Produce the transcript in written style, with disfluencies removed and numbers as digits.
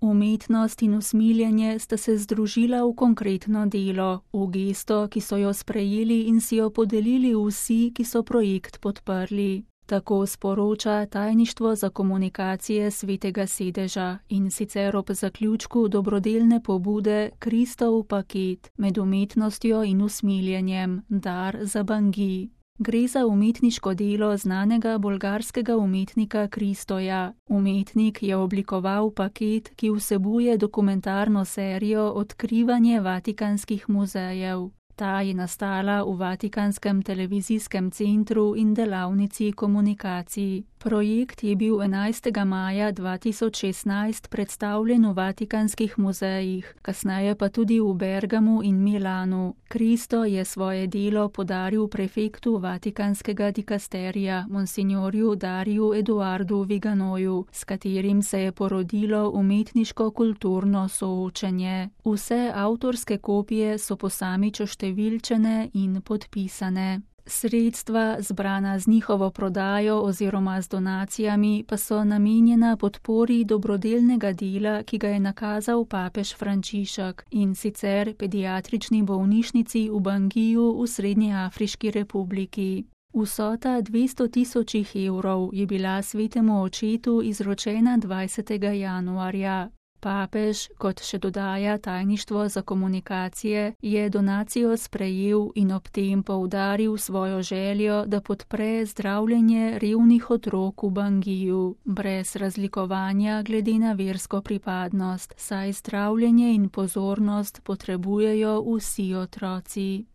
Umetnost in usmiljenje sta se združila v konkretno delo, v gesto, ki so jo sprejeli in si jo podelili vsi, ki so projekt podprli. Tako sporoča Tajništvo za komunikacije Svetega sedeža in sicer ob zaključku dobrodelne pobude Kristov paket med umetnostjo in usmiljenjem, dar za Bangui. Gre za umetniško delo znanega bolgarskega umetnika Kristoja. Umetnik je oblikoval paket, ki vsebuje dokumentarno serijo Odkrivanje vatikanskih muzejev. Ta je nastala v Vatikanskem televizijskem centru in delavnici komunikacij. Projekt je bil 11. maja 2016 predstavljen v Vatikanskih muzejih, kasneje pa tudi v Bergamu in Milanu. Kristo je svoje delo podaril prefektu Vatikanskega dikasterija, monsignorju Dariju Eduardu Viganoju, s katerim se je porodilo umetniško-kulturno soočenje. Vse avtorske kopije so posamič oštevilčene in podpisane. Sredstva, zbrana z njihovo prodajo oziroma z donacijami, pa so namenjena podpori dobrodelnega dela, ki ga je nakazal papež Frančišek, in sicer pediatrični bolnišnici v Banguiju v Srednjeafriški republiki. Vsota 200 000 evrov je bila svetemu očetu izročena 20. januarja. Papež, kot še dodaja Tajništvo za komunikacije, je donacijo sprejel in ob tem poudaril svojo željo, da podpre zdravljenje revnih otrok v Banguiju, brez razlikovanja glede na versko pripadnost, saj zdravljenje in pozornost potrebujejo vsi otroci.